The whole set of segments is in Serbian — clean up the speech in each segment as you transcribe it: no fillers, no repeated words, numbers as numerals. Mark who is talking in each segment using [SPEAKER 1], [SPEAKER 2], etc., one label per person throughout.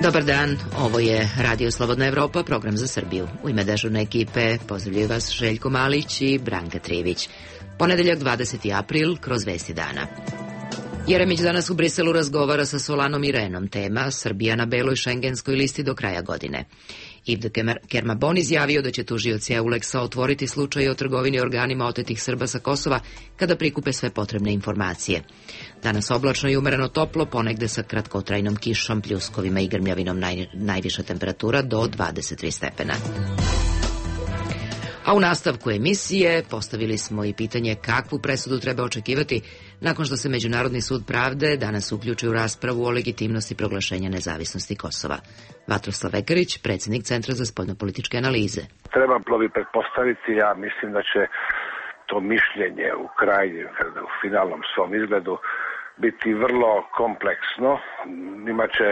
[SPEAKER 1] Dobar dan, ovo je Radio Slobodna Evropa, program za Srbiju. U ime dežurne ekipe pozdravljaju vas Željko Malić i Branka Trivić. Ponedeljak 20. april, kroz vesti dana. Jeremić danas u Briselu razgovara sa Solanom i Renom. Tema Srbija na beloj šengenskoj listi do kraja godine. Yves de Kermabon izjavio da će tužioci EULEX-a otvoriti slučaj o trgovini organima otetih Srba sa Kosova kada prikupe sve potrebne informacije. Danas oblačno i umereno toplo, ponegde sa kratkotrajnom kišom, pljuskovima i grmljavinom, najviša temperatura do 23 stepena. A u nastavku emisije postavili smo i pitanje kakvu presudu treba očekivati nakon što se Međunarodni sud pravde danas uključi u raspravu o legitimnosti proglašenja nezavisnosti Kosova. Vatroslav Vekarić, predsjednik Centra za spoljnopolitičke analize.
[SPEAKER 2] Trebalo bi pretpostaviti, ja mislim da će to mišljenje u krajnjem, u finalnom svom izgledu biti vrlo kompleksno. Imaće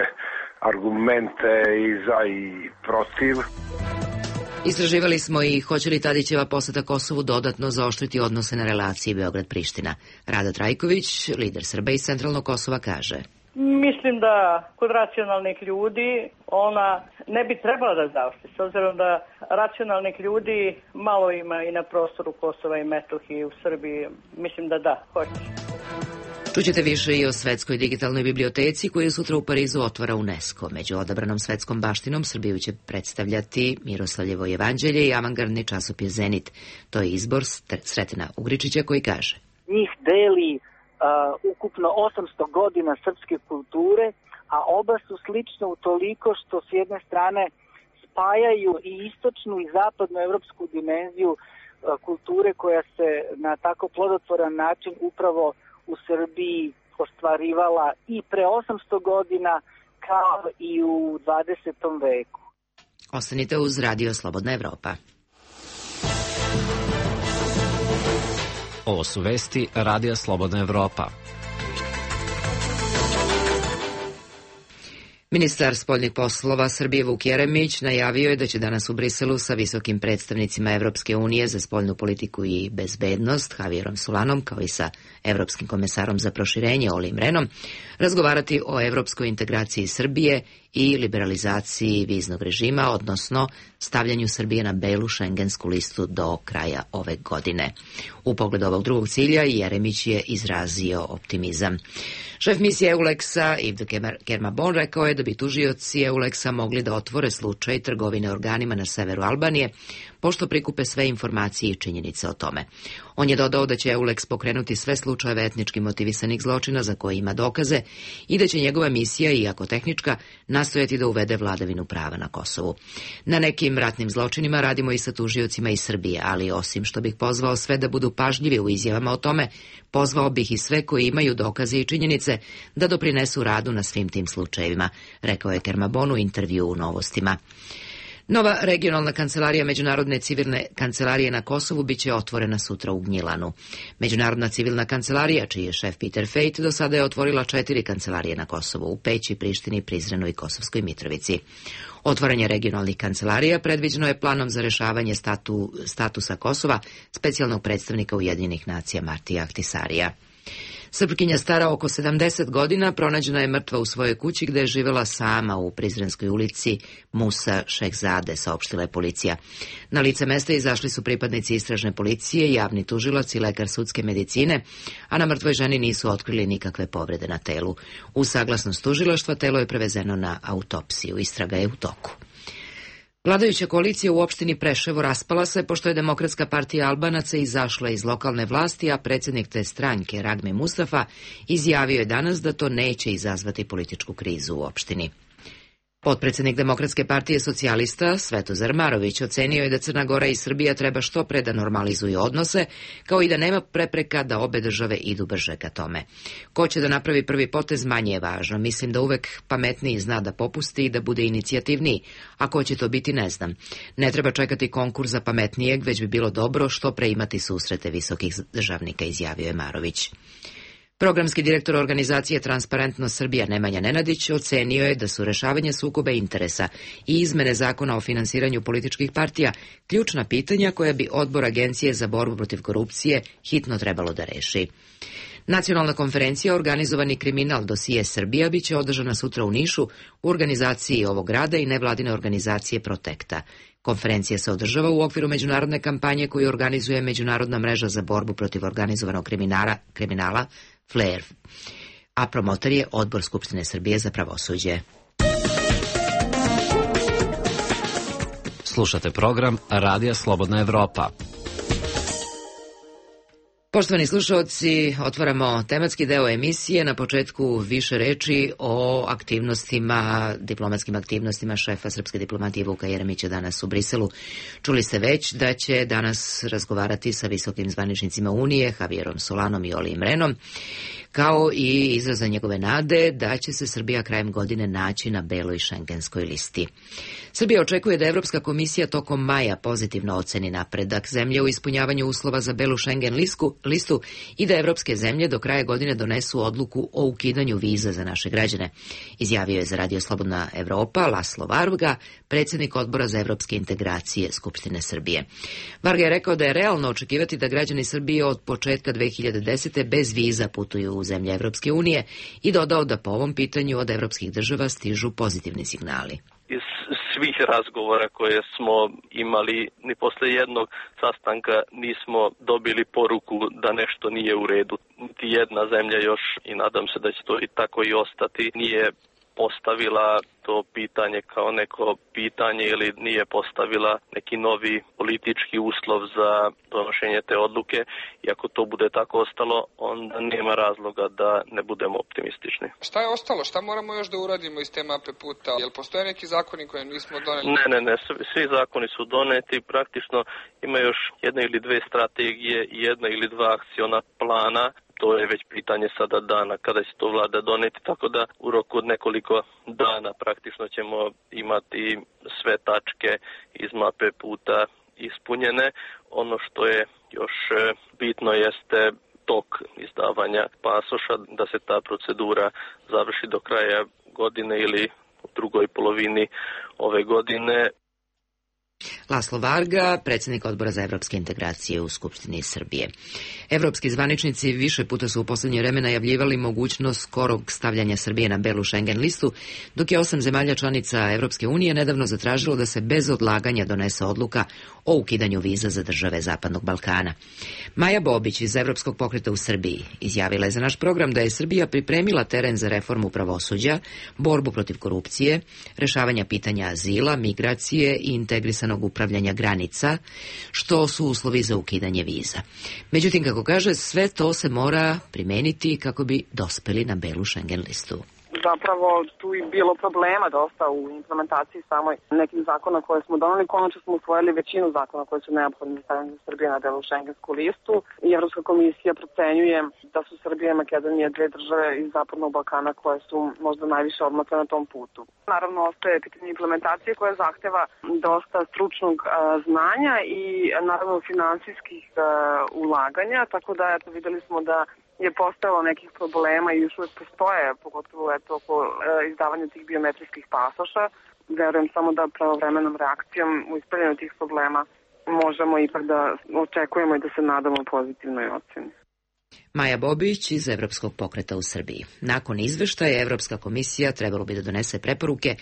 [SPEAKER 2] argumente i za i protiv.
[SPEAKER 1] Istraživali smo i hoće li Tadićeva poseta Kosovu dodatno zaoštriti odnose na relaciji Beograd-Priština. Rada Trajković, lider Srba iz Centralnog Kosova, kaže:
[SPEAKER 3] Mislim da kod racionalnih ljudi ona ne bi trebala da zaoštri, s obzirom da racionalnih ljudi malo ima i na prostoru Kosova i Metohije u Srbiji. Mislim da hoće.
[SPEAKER 1] Čućete više i o svetskoj digitalnoj biblioteci koju sutra u Parizu otvara UNESCO. Među odabranom svetskom baštinom Srbiju će predstavljati Miroslavljevo evanđelje i avangardni časopis Zenit. To je izbor Sretina Ugričića koji kaže:
[SPEAKER 4] Njih deli ukupno 800 godina srpske kulture, a oba su slične u toliko što s jedne strane spajaju i istočnu i zapadnu evropsku dimenziju kulture koja se na tako plodotvoran način upravo u Srbiji ostvarivala i pre 800 godina kao i u 20. veku.
[SPEAKER 1] Ostanite uz Radio Slobodna Evropa.
[SPEAKER 5] Ovo su vesti Radija Slobodna Evropa.
[SPEAKER 1] Ministar spoljnih poslova Srbije Vuk Jeremić najavio je da će danas u Briselu sa visokim predstavnicima Evropske unije za spoljnu politiku i bezbednost Javierom Solanom, kao i sa Evropskim komesarom za proširenje Olim Renom, razgovarati o evropskoj integraciji Srbije i liberalizaciji viznog režima, odnosno stavljanju Srbije na belu šengensku listu do kraja ove godine. U pogledu ovog drugog cilja Jeremić je izrazio optimizam. Šef misije EULEX-a Yves de Kermabon rekao je da bi tužioci EULEX-a mogli da otvore slučaj trgovine organima na severu Albanije, pošto prikupe sve informacije i činjenice o tome. On je dodao da će EULEX pokrenuti sve slučajeve etnički motivisanih zločina za koje ima dokaze i da će njegova misija, iako tehnička, nastojati da uvede vladavinu prava na Kosovu. Na nekim ratnim zločinima radimo i sa tužiocima iz Srbije, ali osim što bih pozvao sve da budu pažljivi u izjavama o tome, pozvao bih i sve koji imaju dokaze i činjenice da doprinesu radu na svim tim slučajevima, rekao je Kermabon u intervju u Novostima. Nova regionalna kancelarija Međunarodne civilne kancelarije na Kosovu biće otvorena sutra u Gnjilanu. Međunarodna civilna kancelarija, čiji je šef Peter Fejt, do sada je otvorila 4 kancelarije na Kosovu, u Peći, Prištini, Prizrenu i Kosovskoj Mitrovici. Otvaranje regionalnih kancelarija predviđeno je planom za rešavanje statusa Kosova specijalnog predstavnika Ujedinjenih nacija Martija Ahtisarija. Srpkinja stara oko 70 godina pronađena je mrtva u svojoj kući gde je živela sama u Prizrenskoj ulici Musa Šehzade, saopštila je policija. Na lice mesta izašli su pripadnici istražne policije, javni tužilac i lekar sudske medicine, a na mrtvoj ženi nisu otkrili nikakve povrede na telu. Uz saglasnost tužilaštva telo je prevezeno na autopsiju. Istraga je u toku. Vladajuća koalicija u opštini Preševo raspala se pošto je Demokratska partija Albanaca izašla iz lokalne vlasti, a predsjednik te stranke Ragme Mustafa izjavio je danas da to neće izazvati političku krizu u opštini. Potpredsjednik Demokratske partije socijalista Svetozar Marović ocenio je da Crna Gora i Srbija treba što pre da normalizuju odnose, kao i da nema prepreka da obe države idu brže ka tome. Ko će da napravi prvi potez manje je važno. Mislim da uvek pametniji zna da popusti i da bude inicijativniji, a ko će to biti ne znam. Ne treba čekati konkurs za pametnijeg, već bi bilo dobro što pre imati susrete visokih državnika, izjavio je Marović. Programski direktor organizacije Transparentnost Srbija Nemanja Nenadić ocenio je da su rešavanje sukoba interesa i izmene zakona o finansiranju političkih partija ključna pitanja koja bi odbor Agencije za borbu protiv korupcije hitno trebalo da reši. Nacionalna konferencija Organizovani kriminal dosije Srbija biće održana sutra u Nišu u organizaciji ovog grada i nevladine organizacije Protekta. Konferencija se održava u okviru međunarodne kampanje koju organizuje Međunarodna mreža za borbu protiv organizovanog kriminala FLAIR, a promotor je Odbor Skupštine Srbije za pravosuđe.
[SPEAKER 5] Slušate program Radija Slobodna Evropa.
[SPEAKER 1] Poštovani slušalci, otvaramo tematski deo emisije. Na početku više reči o diplomatskim aktivnostima šefa srpske diplomatije Vuka Jeremića danas u Briselu. Čuli ste već da će danas razgovarati sa visokim zvaničnicima Unije, Javierom Solanom i Olijem Rehnom, kao i izraza njegove nade da će se Srbija krajem godine naći na beloj šengenskoj listi. Srbija očekuje da Evropska komisija tokom maja pozitivno oceni napredak zemlje u ispunjavanju uslova za belu šengen listu i da evropske zemlje do kraja godine donesu odluku o ukidanju viza za naše građane, izjavio je za Radio Slobodna Evropa Laslo Varga, predsjednik Odbora za evropske integracije Skupštine Srbije. Varga je rekao da je realno očekivati da građani Srbije od početka 2010. bez viza putuju u zemlje Evropske unije i dodao da po ovom pitanju od evropskih država stižu pozitivni signali.
[SPEAKER 6] Iz svih razgovora koje smo imali, ni posle jednog sastanka nismo dobili poruku da nešto nije u redu. Niti jedna zemlja još, i nadam se da će to i tako i ostati, nije postavila to pitanje kao neko pitanje ili nije postavila neki novi politički uslov za donošenje te odluke. I ako to bude tako ostalo, onda nema razloga da ne budemo optimistični.
[SPEAKER 7] Šta je ostalo? Šta moramo još da uradimo iz te mape puta? Jel postoje neki zakoni koje nismo doneli?
[SPEAKER 6] Ne. Svi zakoni su doneti. Praktično ima još jedna ili dve strategije i jedna ili dva akciona plana. To je već pitanje sada dana kada će to vlada doneti, tako da u roku od nekoliko dana praktično ćemo imati sve tačke iz mape puta ispunjene. Ono što je još bitno jeste tok izdavanja pasoša, da se ta procedura završi do kraja godine ili u drugoj polovini ove godine.
[SPEAKER 1] Laslo Varga, predsjednik Odbora za evropske integracije u Skupštini Srbije. Evropski zvaničnici više puta su u posljednje vreme najavljivali mogućnost skorog stavljanja Srbije na belu Schengen listu, dok je 8 zemalja članica Evropske unije nedavno zatražilo da se bez odlaganja donese odluka o ukidanju viza za države Zapadnog Balkana. Maja Bobić iz Evropskog pokreta u Srbiji izjavila je za naš program da je Srbija pripremila teren za reformu pravosuđa, borbu protiv korupcije, rešavanja pitanja azila, migracije i integrisanog upravljanja granica, što su uslovi za ukidanje viza. Međutim, kako kaže, sve to se mora primeniti kako bi dospeli na belu Schengen listu.
[SPEAKER 8] Zapravo tu je bilo problema dosta u implementaciji samoj nekih zakona koje smo doneli. Konačno smo usvojili većinu zakona koje su neophodni za stavljanje Srbije na belu šengensku listu i Evropska komisija procenjuje da su Srbija i Makedonija dve države iz Zapadnog Balkana koje su možda najviše odmakle na tom putu. Naravno, ostaje pitanje implementacije koja zahteva dosta stručnog znanja i naravno finansijskih ulaganja, tako da videli smo da je postojalo nekih problema i još uvijek postoje, pogotovo oko izdavanja tih biometrijskih pasoša. Verujem samo da pravovremenom reakcijom u ispravljanju tih problema možemo ipak da očekujemo i da se nadamo pozitivnoj oceni.
[SPEAKER 1] Maja Bobić iz Evropskog pokreta u Srbiji. Nakon izveštaja Evropska komisija trebalo bi da donese preporuke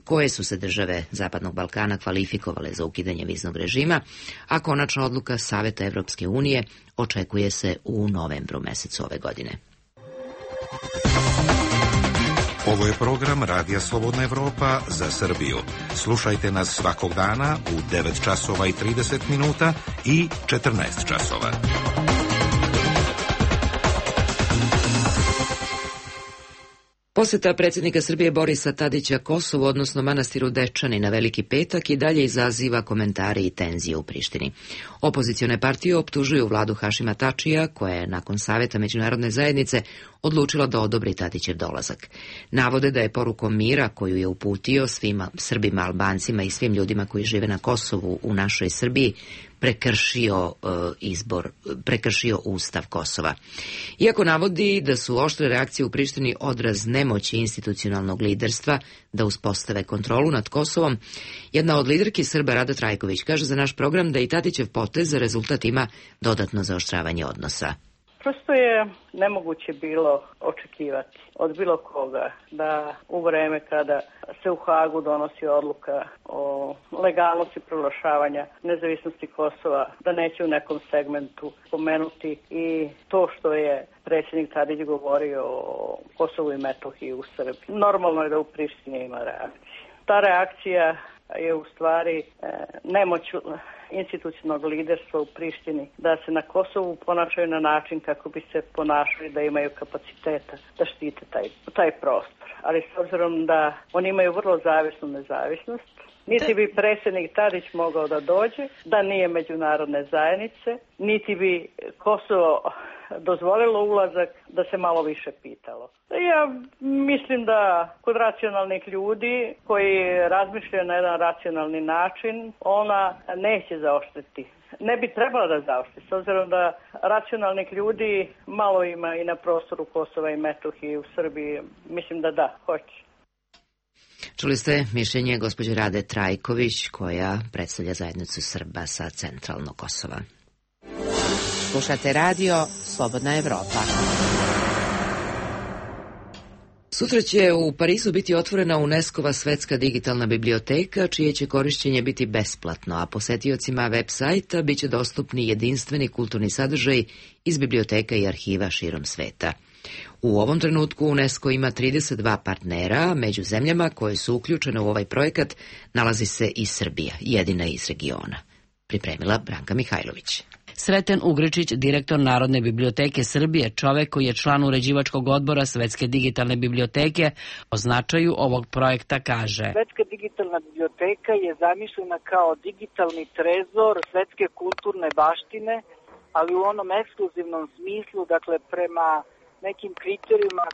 [SPEAKER 1] koje su se države Zapadnog Balkana kvalifikovale za ukidanje viznog režima, a konačna odluka Saveta Evropske unije očekuje se u novembru mesecu ove godine.
[SPEAKER 9] Ovo je program Radija Slobodna Evropa za Srbiju. Slušajte nas svakog dana u 9 časova i 30 minuta i 14 časova.
[SPEAKER 1] Posjeta predsjednika Srbije Borisa Tadića Kosovu, odnosno manastiru Dečani na Veliki petak, i dalje izaziva komentare i tenzije u Prištini. Opozicione partije optužuju vladu Hašima Tačija, koja je nakon savjeta međunarodne zajednice odlučila da odobri Tadićev dolazak. Navode da je porukom mira koju je uputio svim Srbima, Albancima i svim ljudima koji žive na Kosovu u našoj Srbiji prekršio Ustav Kosova. Iako navodi da su oštre reakcije u Prištini odraz nemoći institucionalnog liderstva da uspostave kontrolu nad Kosovom, jedna od liderki Srba, Rada Trajković, kaže za naš program da i Tadićev potez za rezultat ima dodatno zaoštravanje odnosa.
[SPEAKER 3] Prosto je nemoguće bilo očekivati od bilo koga da u vreme kada se u Hagu donosi odluka o legalnosti proglašavanja nezavisnosti Kosova, da neće u nekom segmentu pomenuti i to što je predsjednik Tadić govorio o Kosovu i Metohiji u Srbiji. Normalno je da u Prištini ima reakcija. Ta reakcija je u stvari nemoć institucionalnog liderstva u Prištini da se na Kosovu ponašaju na način kako bi se ponašali da imaju kapaciteta da štite taj prostor. Ali s obzirom da oni imaju vrlo zavisnu nezavisnost, niti bi predsjednik Tadić mogao da dođe, da nije međunarodne zajednice, niti bi Kosovo dozvolilo ulazak, da se malo više pitalo. Ja mislim da kod racionalnih ljudi koji razmišljaju na jedan racionalni način, ona neće zaoštriti. Ne bi trebala da zaoštri, s obzirom da racionalnih ljudi malo ima i na prostoru Kosova i Metohije u Srbiji. Mislim da hoće.
[SPEAKER 1] Čuli ste mišljenje gospođe Rade Trajković, koja predstavlja zajednicu Srba sa centralnog Kosova.
[SPEAKER 10] Slušate radio Slobodna Evropa.
[SPEAKER 1] Sutra će u Parizu biti otvorena UNESCO-va svetska digitalna biblioteka, čije će korišćenje biti besplatno, a posetiocima web sajta biće dostupni jedinstveni kulturni sadržaj iz biblioteka i arhiva širom sveta. U ovom trenutku UNESCO ima 32 partnera, među zemljama koje su uključene u ovaj projekat nalazi se i Srbija, jedina iz regiona. Pripremila Branka Mihajlović.
[SPEAKER 10] Sreten Ugričić, direktor Narodne biblioteke Srbije, čovek koji je član uređivačkog odbora Svetske digitalne biblioteke, o značaju ovog projekta kaže:
[SPEAKER 4] Svetska digitalna biblioteka je zamišljena kao digitalni trezor svetske kulturne baštine, ali u onom ekskluzivnom smislu, dakle prema nekim kriterijima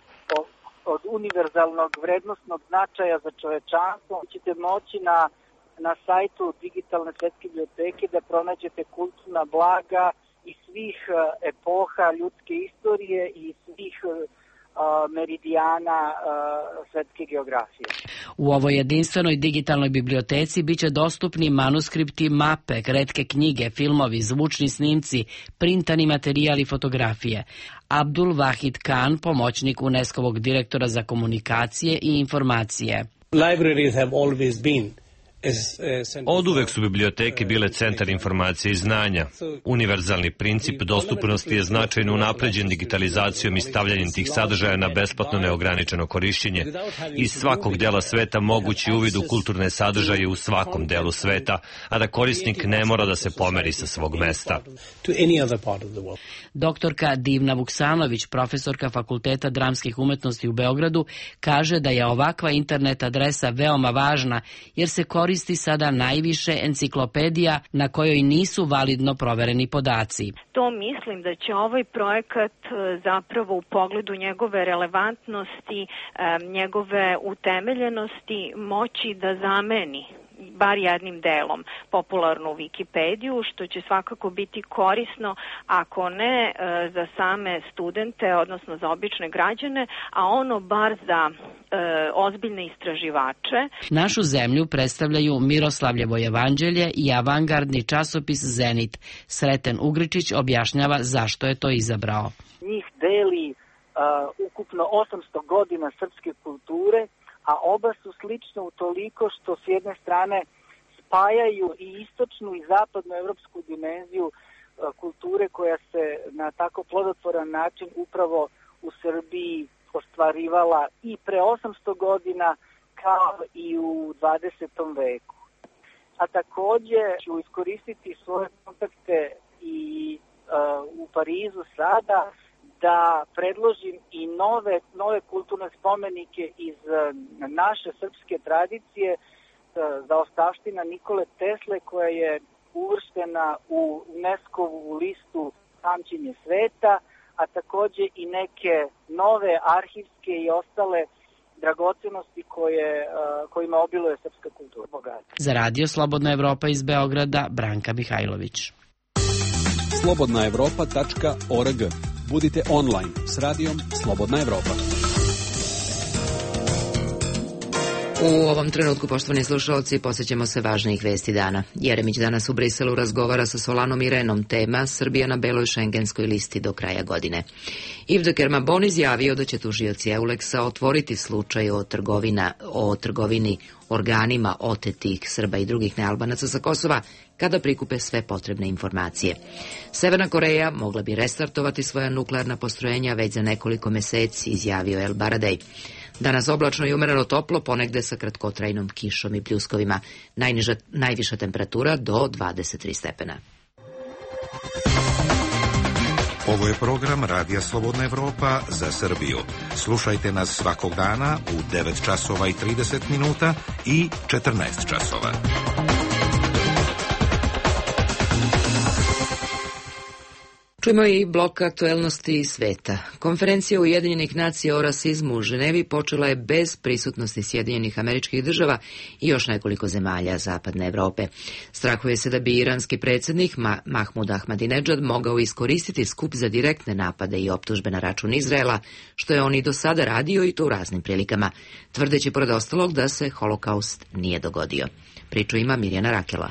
[SPEAKER 4] od univerzalnog vrednostnog značaja za čovečanstvo. Ćete moći na sajtu digitalne svetske biblioteke da pronađete kulturna blaga iz svih epoha ljudske istorije i svih meridijana svetske geografije.
[SPEAKER 10] U ovoj jedinstvenoj digitalnoj biblioteci biće dostupni manuskripti, mape, retke knjige, filmovi, zvučni snimci, printani materijali i fotografije. Abdul Wahid Khan, pomoćnik UNESCO-vog direktora za komunikacije i informacije.
[SPEAKER 11] Libraries have always been
[SPEAKER 12] Oduvek su biblioteke bile centar informacije i znanja. Univerzalni princip dostupnosti je značajno unapređen digitalizacijom i stavljanjem tih sadržaja na besplatno neograničeno korišćenje. Iz svakog dela sveta mogući uvid u kulturne sadržaje u svakom delu sveta, a da korisnik ne mora da se pomeri sa svog mesta.
[SPEAKER 10] Doktorka Divna Vuksanović, profesorka Fakulteta dramskih umetnosti u Beogradu, kaže da je ovakva internet adresa veoma važna jer se koristi sada najviše enciklopedija na kojoj nisu validno provereni podaci.
[SPEAKER 13] To mislim da će ovaj projekat zapravo u pogledu njegove relevantnosti, njegove utemeljenosti moći da zameni bar jednim delom popularnu Wikipediju, što će svakako biti korisno, ako ne za same studente, odnosno za obične građane, a ono bar za ozbiljne istraživače.
[SPEAKER 10] Našu zemlju predstavljaju Miroslavljevo evanđelje i avangardni časopis Zenit. Sreten Ugričić objašnjava zašto je to izabrao.
[SPEAKER 4] Njih deli ukupno 800 godina srpske kulture, a oba su slične u toliko što s jedne strane spajaju i istočnu i zapadnu evropsku dimenziju kulture koja se na tako plodotvoran način upravo u Srbiji ostvarivala i pre 800 godina kao i u 20. veku. A takođe ću iskoristiti svoje kontakte i u Parizu sada da predložim i nove kulturne spomenike iz naše srpske tradicije, zaostavština Nikole Tesle koja je uvrštena u UNESCO-vu listu pamćenje sveta, a takođe i neke nove arhivske i ostale dragocenosti kojima obiluje srpska kultura.
[SPEAKER 10] Za radio Slobodna Evropa iz Beograda, Branka Mihajlović.
[SPEAKER 14] slobodnaevropa.org. Budite online s radijom Slobodna Evropa.
[SPEAKER 1] U ovom trenutku, poštovani slušalci, posjećamo se važnijih vesti dana. Jeremić danas u Briselu razgovara sa Solanom i Renom, tema Srbija na beloj šengenskoj listi do kraja godine. Yves de Kermabon izjavio da će tužioci Euleksa otvoriti slučaj o trgovini organima otetih Srba i drugih nealbanaca sa Kosova kada prikupe sve potrebne informacije. Severna Koreja mogla bi restartovati svoja nuklearna postrojenja već za nekoliko meseci, izjavio El Baradej. Danas oblačno i umereno toplo, ponegde sa kratkotrajnom kišom i pljuskovima. Najviša temperatura do 23 stepena.
[SPEAKER 9] Ovo je program Radija Slobodna Evropa za Srbiju. Slušajte nas svakog dana u 9 časova i 30 minuta i 14 časova.
[SPEAKER 1] Čujemo i blok aktuelnosti sveta. Konferencija Ujedinjenih nacija o rasizmu u Ženevi počela je bez prisutnosti Sjedinjenih Američkih Država i još nekoliko zemalja Zapadne Evrope. Strahuje se da bi iranski predsjednik Mahmud Ahmadinedžad mogao iskoristiti skup za direktne napade i optužbe na račun Izraela, što je on i do sada radio i to u raznim prilikama, tvrdeći pored ostalog da se holokaust nije dogodio. Priču ima Mirjana Rakela.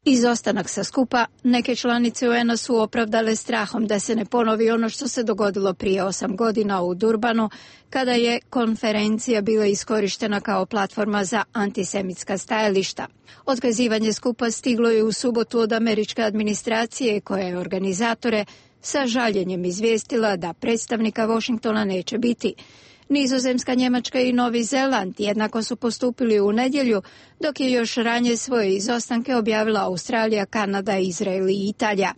[SPEAKER 15] Izostanak sa skupa neke članice UN-a su opravdale strahom da se ne ponovi ono što se dogodilo prije 8 godina u Durbanu, kada je konferencija bila iskorištena kao platforma za antisemitska stajališta. Otkazivanje skupa stiglo je u subotu od američke administracije, koja je organizatore sa žaljenjem izvijestila da predstavnika Washingtona neće biti. Nizozemska, Njemačka i Novi Zeland jednako su postupili u nedjelju, dok je još ranije svoje izostanke objavila Australija, Kanada, Izrael i Italija.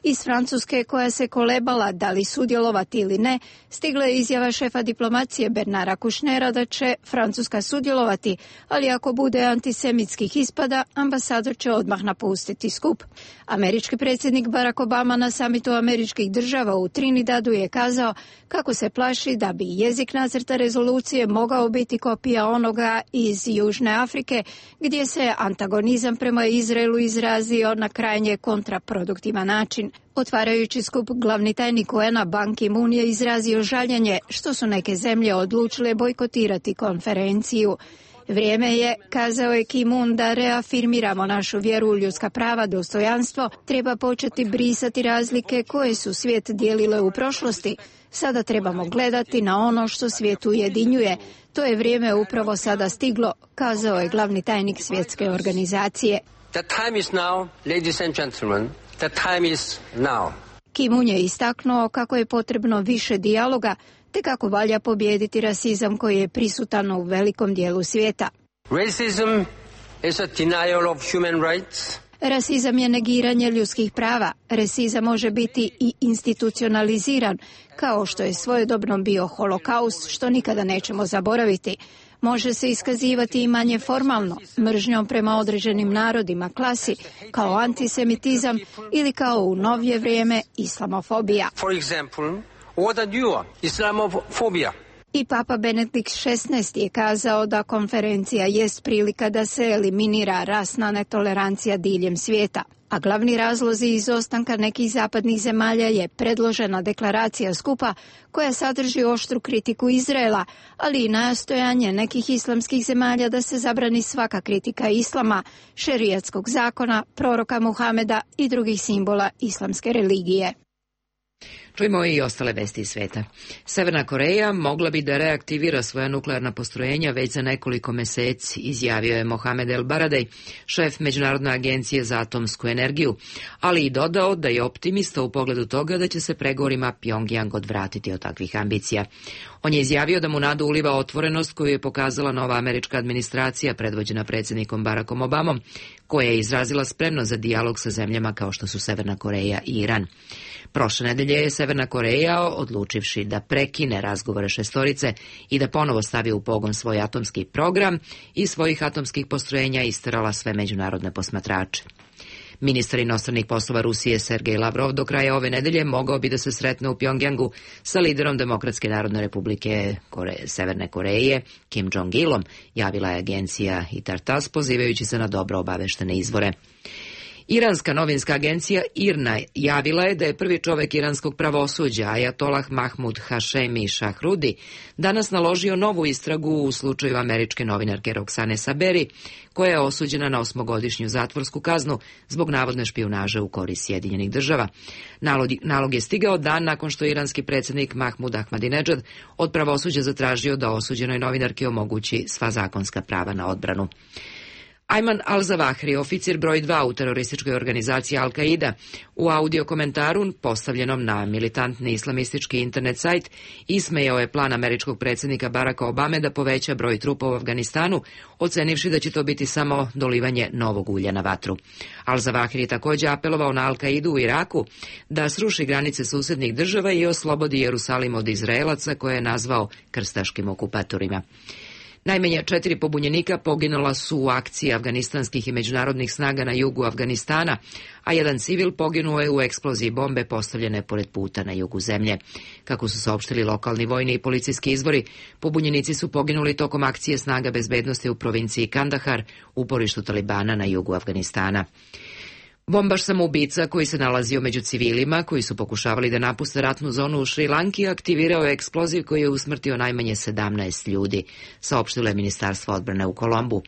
[SPEAKER 15] Iz Francuske, koja se kolebala da li sudjelovati ili ne, stigla je izjava šefa diplomacije Bernara Kušnera da će Francuska sudjelovati, ali ako bude antisemitskih ispada, ambasador će odmah napustiti skup. Američki predsjednik Barack Obama na samitu američkih država u Trinidadu je kazao kako se plaši da bi jezik nacrta rezolucije mogao biti kopija onoga iz Južne Afrike, gdje se antagonizam prema Izraelu izrazio na krajnje kontraproduktivan način. Otvarajući skup, glavni tajnik UN-a Ban Ki-moon je izrazio žaljenje što su neke zemlje odlučile bojkotirati konferenciju. Vrijeme je, kazao je Ki-moon, da reafirmiramo našu vjeru u ljudska prava, dostojanstvo, treba početi brisati razlike koje su svijet dijelile u prošlosti. Sada trebamo gledati na ono što svijet ujedinjuje. To je vrijeme upravo sada stiglo, kazao je glavni tajnik svjetske organizacije.
[SPEAKER 16] The time is now, ladies and gentlemen. The time is now.
[SPEAKER 15] Ki-moon je istaknuo kako je potrebno više dijaloga, te kako valja pobijediti rasizam koji je prisutan u velikom dijelu svijeta.
[SPEAKER 16] Racism is a denial of human rights.
[SPEAKER 15] Rasizam je negiranje ljudskih prava. Rasizam može biti i institucionaliziran, kao što je svojedobno bio holokaust, što nikada nećemo zaboraviti. Može se iskazivati i manje formalno, mržnjom prema određenim narodima, klasi, kao antisemitizam ili kao u novije vrijeme islamofobija.
[SPEAKER 16] For example, what are you? Islamophobia.
[SPEAKER 15] I Papa Benedikt XVI je kazao da konferencija jest prilika da se eliminira rasna netolerancija diljem svijeta. A glavni razlozi izostanka nekih zapadnih zemalja je predložena deklaracija skupa koja sadrži oštru kritiku Izraela, ali i nastojanje nekih islamskih zemalja da se zabrani svaka kritika islama, šerijatskog zakona, proroka Muhameda i drugih simbola islamske religije.
[SPEAKER 1] Čujemo i ostale vesti iz sveta. Severna Koreja mogla bi da reaktivira svoja nuklearna postrojenja već za nekoliko meseci, izjavio je Mohamed El Baradej, šef Međunarodne agencije za atomsku energiju, ali i dodao da je optimista u pogledu toga da će se pregovorima Pjongjang odvratiti od takvih ambicija. On je izjavio da mu nadu uliva otvorenost koju je pokazala nova američka administracija predvođena predsjednikom Barackom Obamom, koja je izrazila spremnost za dijalog sa zemljama kao što su Severna Koreja i Iran. Prošle nedelje je Severna Koreja, odlučivši da prekine razgovore šestorice i da ponovo stavi u pogon svoj atomski program i svojih atomskih postrojenja, isterala sve međunarodne posmatrače. Ministar inostranih poslova Rusije Sergej Lavrov do kraja ove nedelje mogao bi da se sretne u Pjongjangu sa liderom Demokratske narodne republike Severne Koreje Kim Jong-ilom, javila je agencija Itar Tass pozivajući se na dobro obaveštene izvore. Iranska novinska agencija IRNA javila je da je prvi čovek iranskog pravosuđa, Ajatolah Mahmud Hašemi Šahrudi, danas naložio novu istragu u slučaju američke novinarke Roksane Saberi, koja je osuđena na 8-godišnju zatvorsku kaznu zbog navodne špijunaže u korist Sjedinjenih država. Nalog je stigao dan nakon što iranski predsjednik Mahmud Ahmadinedžad od pravosuđa zatražio da osuđenoj novinarki omogući sva zakonska prava na odbranu. Ayman al-Zawahri, oficir broj 2 u terorističkoj organizaciji Al-Qaida, u audio komentaru postavljenom na militantni islamistički internet sajt ismejao je plan američkog predsjednika Baracka Obame da poveća broj trupa u Afganistanu, ocenivši da će to biti samo dolivanje novog ulja na vatru. Al-Zawahri je također apelovao na Al-Qaidu u Iraku da sruši granice susednih država i oslobodi Jerusalim od Izraelaca koje je nazvao krstaškim okupatorima. Najmanje 4 pobunjenika poginula su u akciji afganistanskih i međunarodnih snaga na jugu Afganistana, a jedan civil poginuo je u eksploziji bombe postavljene pored puta na jugu zemlje. Kako su saopštili lokalni vojni i policijski izvori, pobunjenici su poginuli tokom akcije snaga bezbednosti u provinciji Kandahar, uporištu Talibana na jugu Afganistana. Bombaš samoubica koji se nalazio među civilima koji su pokušavali da napuste ratnu zonu u Šrilanki aktivirao je eksploziv koji je usmrtio najmanje 17 ljudi, saopštilo je Ministarstvo odbrane u Kolombu.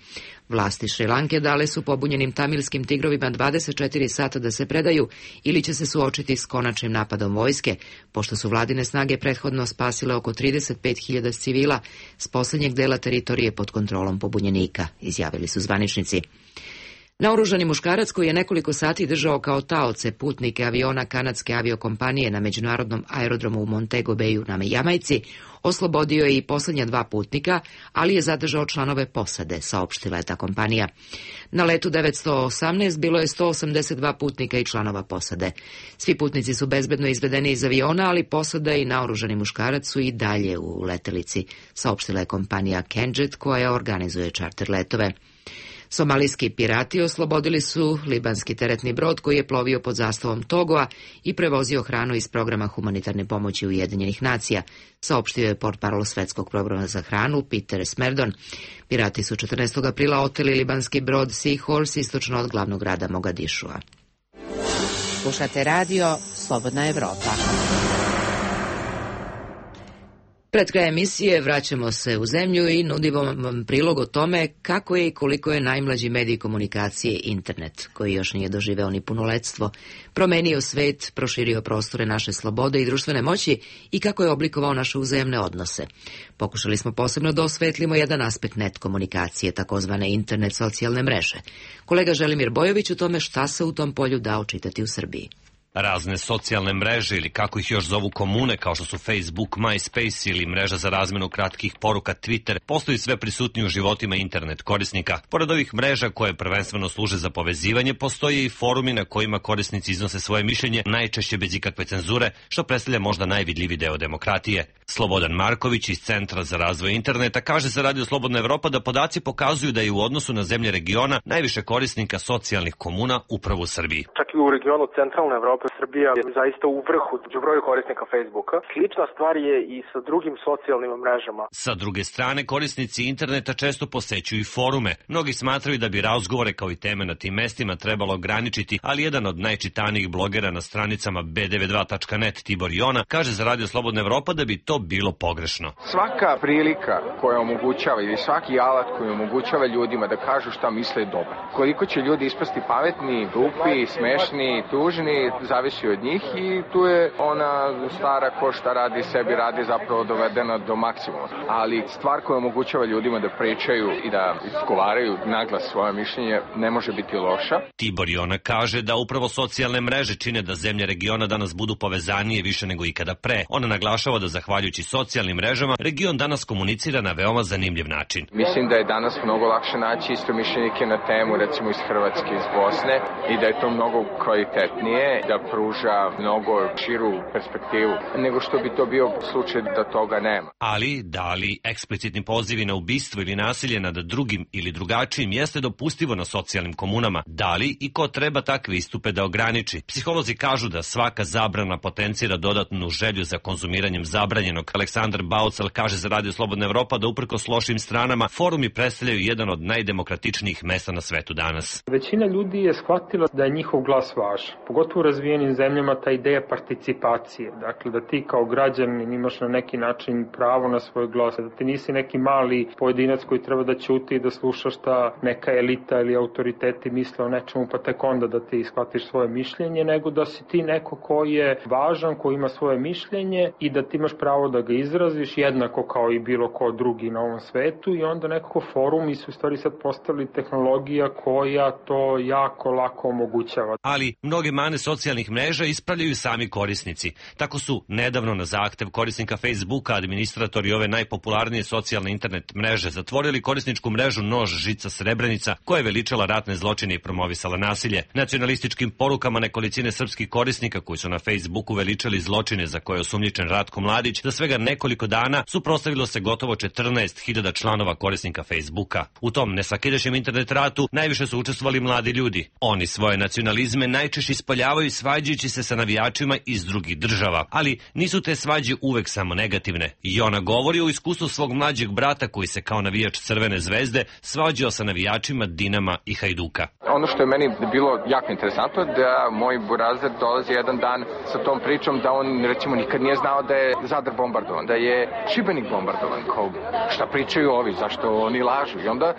[SPEAKER 1] Vlasti Šrilanke dale su pobunjenim tamilskim tigrovima 24 sata da se predaju ili će se suočiti s konačnim napadom vojske, pošto su vladine snage prethodno spasile oko 35.000 civila s posljednjeg dela teritorije pod kontrolom pobunjenika, izjavili su zvaničnici. Naoružani muškarac koji je nekoliko sati držao kao taoce putnike aviona kanadske aviokompanije na međunarodnom aerodromu u Montego Bayu na Jamajci oslobodio je i posljednja 2 putnika, ali je zadržao članove posade, saopštila je ta kompanija. Na letu 918 bilo je 182 putnika i članova posade. Svi putnici su bezbedno izvedeni iz aviona, ali posada i naoružani muškarac su i dalje u letelici, saopštila je kompanija Kenjet koja organizuje čarter letove. Somalijski pirati oslobodili su libanski teretni brod koji je plovio pod zastavom Togoa i prevozio hranu iz programa humanitarne pomoći Ujedinjenih nacija, saopštio je portparol Svetskog programa za hranu Peter Smerdon. Pirati su 14. aprila oteli libanski brod Seahorse istočno od glavnog grada Mogadišua. Slušate radio Slobodna Evropa. Pred kraj emisije vraćamo se u zemlju i nudimo vam prilog o tome kako je i koliko je najmlađi medij komunikacije internet, koji još nije doživeo ni punoletstvo, promenio svet, proširio prostore naše slobode i društvene moći i kako je oblikovao naše uzajamne odnose. Pokušali smo posebno da osvetlimo jedan aspekt net komunikacije, takozvane internet socijalne mreže. Kolega Želimir Bojović o tome šta se u tom polju da očitati u Srbiji.
[SPEAKER 12] Razne socijalne mreže ili kako ih još zovu komune kao što su Facebook, MySpace ili mreža za razmenu kratkih poruka Twitter postaju sve prisutniji u životima internet korisnika. Pored ovih mreža koje prvenstveno služe za povezivanje, postoje i forumi na kojima korisnici iznose svoje mišljenje, najčešće bez ikakve cenzure, što predstavlja možda najvidljiviji deo demokratije. Slobodan Marković iz Centra za razvoj interneta kaže za Radio Slobodna Evropa da podaci pokazuju da je u odnosu na zemlje regiona najviše korisnika socijalnih komuna upravo u Srbiji.
[SPEAKER 17] Čak i u regionu centralne Evrope Srbija je zaista u vrhu u broju korisnika Facebooka. Slična stvar je i sa drugim socijalnim mrežama.
[SPEAKER 12] Sa druge strane, korisnici interneta često posećuju i forume. Mnogi smatraju da bi razgovore kao i teme na tim mestima trebalo ograničiti, ali jedan od najčitanijih blogera na stranicama b92.net Tibor Jona kaže za Radio Slobodna Evropa da bi to bilo pogrešno.
[SPEAKER 18] Svaka prilika koja omogućava ili svaki alat koji omogućava ljudima da kažu šta misle je dobar. Koliko će ljudi ispasti pametni, glupi, smešni, tužni, zavisi od njih i tu je ona stara ko šta radi sebi radi zapravo dovedena do maksimuma. Ali stvar koja omogućava ljudima da pričaju i da izgovaraju naglas svoje mišljenje ne može biti loša.
[SPEAKER 12] Tibor Jona kaže da upravo socijalne mreže čine da zemlje regiona danas budu povezanije više nego ikada pre. Ona naglašava da zahvaljujući socijalnim mrežama region danas komunicira na veoma zanimljiv način.
[SPEAKER 18] Mislim da je danas mnogo lakše naći istomišljenike na temu recimo iz Hrvatske, iz Bosne i da je to mnogo kvalitetnije, da da pruža mnogo širu perspektivu nego što bi to bio slučaj da toga nema.
[SPEAKER 12] Ali, da li eksplicitni pozivi na ubistvo ili nasilje nad drugim ili drugačijim jeste dopustivo na socijalnim komunama? Da li i ko treba takve istupe da ograniči? Psiholozi kažu da svaka zabrana potencira dodatnu želju za konzumiranjem zabranjenog. Aleksandar Baucal kaže za Radio Slobodna Evropa da uprkos lošim stranama forumi predstavljaju jedan od najdemokratičnijih mesta na svetu danas.
[SPEAKER 19] Većina ljudi je shvatila da je njihov glas važan. Pogotovo u razvijenim zemljama ta ideja participacije. Dakle, da ti kao građanin imaš na neki način pravo na svoj glas. Da ti nisi neki mali pojedinac koji treba da ćuti i da sluša šta neka elita ili autoriteti misle o nečemu pa tek onda da ti shvatiš svoje mišljenje, nego da si ti neko koji je važan, koji ima svoje mišljenje i da ti imaš pravo da ga izraziš jednako kao i bilo ko drugi na ovom svetu i onda nekako forumi su u stvari sad postali tehnologija koja to jako lako omogućava.
[SPEAKER 12] Ali mnoge mane socijalnih mreža ispravljaju sami korisnici. Tako su nedavno na zahtev korisnika Facebooka administratori ove najpopularnije socijalne internet mreže zatvorili korisničku mrežu Nož žica Srebrenica koja je veličala ratne zločine i promovisala nasilje. Nacionalističkim porukama nekolicine srpskih korisnika koji su na Facebooku veličali zločine za koje je osumnjičen Ratko Mladić, za svega nekoliko dana suprotstavilo se gotovo 14.000 članova korisnika Facebooka. U tom nesvakidašnjem internet ratu najviše su učestvovali mladi ljudi. Oni svoje nacionalizme najčešće ispoljavaju svađajući se sa navijačima iz drugih država, ali nisu te svađe uvek samo negativne. I ona govori o iskustvu svog mlađeg brata koji se kao navijač Crvene zvezde svađao sa navijačima Dinama i Hajduka.
[SPEAKER 18] Ono što je meni bilo jako interesantno da moj burazer dolazi jedan dan sa tom pričom da on recimo nikad nije znao da je Zadar bombardovan, da je Šibenik bombardovan. Kao, šta pričaju ovi, zašto oni lažu? I onda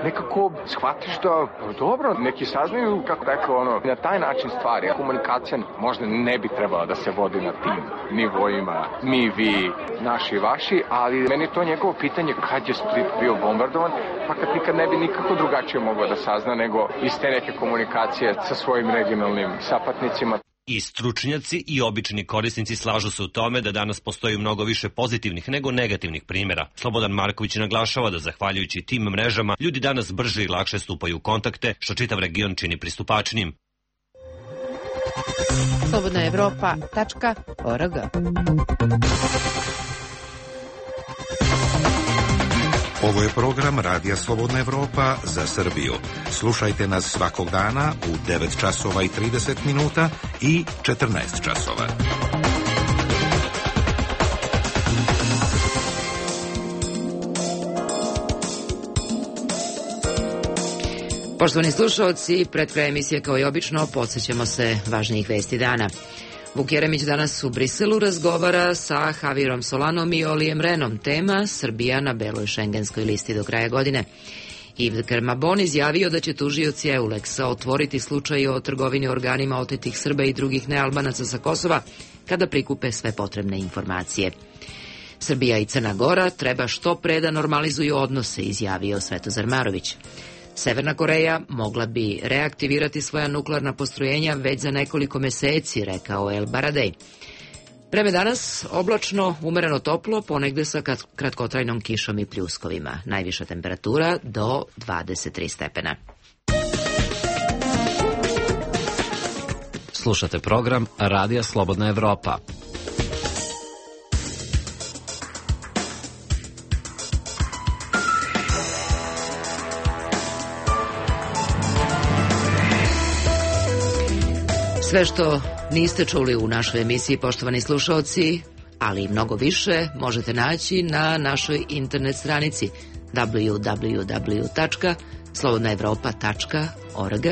[SPEAKER 18] nekako shvatiš da dobro, neki saznaju kako rekao na taj način stvari. Komunikacija možda ne bi trebala da se vodi na tim nivoima, mi, vi, naši, vaši, ali meni to njegovo pitanje kad je Split bio bombardovan, pa kad nikad ne bi nikako drugačije mogao da sazna nego iz te neke komunikacije sa svojim regionalnim sapatnicima.
[SPEAKER 12] I stručnjaci i obični korisnici slažu se u tome da danas postoji mnogo više pozitivnih nego negativnih primjera. Slobodan Marković naglašava da zahvaljujući tim mrežama ljudi danas brže i lakše stupaju u kontakte, što čitav region čini pristupačnim.
[SPEAKER 1] slobodnaevropa.org.
[SPEAKER 9] Ovo je program Radija Slobodna Evropa za Srbiju. Slušajte nas svakog dana u 9 časova i 30 minuta i 14 časova.
[SPEAKER 1] Poštovani slušalci, pred kraj emisije kao i obično podsjećamo se važnijih vesti dana. Vuk Jeremić danas u Briselu razgovara sa Javierom Solanom i Olijem Rehnom. Tema Srbija na beloj šengenskoj listi do kraja godine. Yves Kermabon izjavio da će tužioci EULEX-a otvoriti slučaj o trgovini organima otetih Srba i drugih nealbanaca sa Kosova kada prikupe sve potrebne informacije. Srbija i Crna Gora treba što pre da normalizuju odnose, izjavio Svetozar Marović. Severna Koreja mogla bi reaktivirati svoja nuklearna postrojenja već za nekoliko meseci, rekao El Baradej. Vreme danas oblačno, umereno toplo, ponegde sa kratkotrajnom kišom i pljuskovima. Najviša temperatura do 23 stepena.
[SPEAKER 5] Slušate program Radija Slobodna Evropa.
[SPEAKER 1] Sve što niste čuli u našoj emisiji, poštovani slušaoci, ali i mnogo više, možete naći na našoj internet stranici www.slobodnaevropa.org.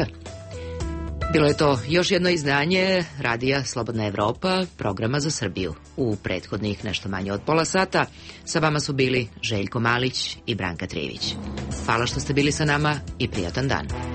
[SPEAKER 1] Bilo je to još jedno izdanje Radija Slobodna Evropa, programa za Srbiju. U prethodnih nešto manje od pola sata sa vama su bili Željko Malić i Branka Trijević. Hvala što ste bili sa nama i prijatan dan.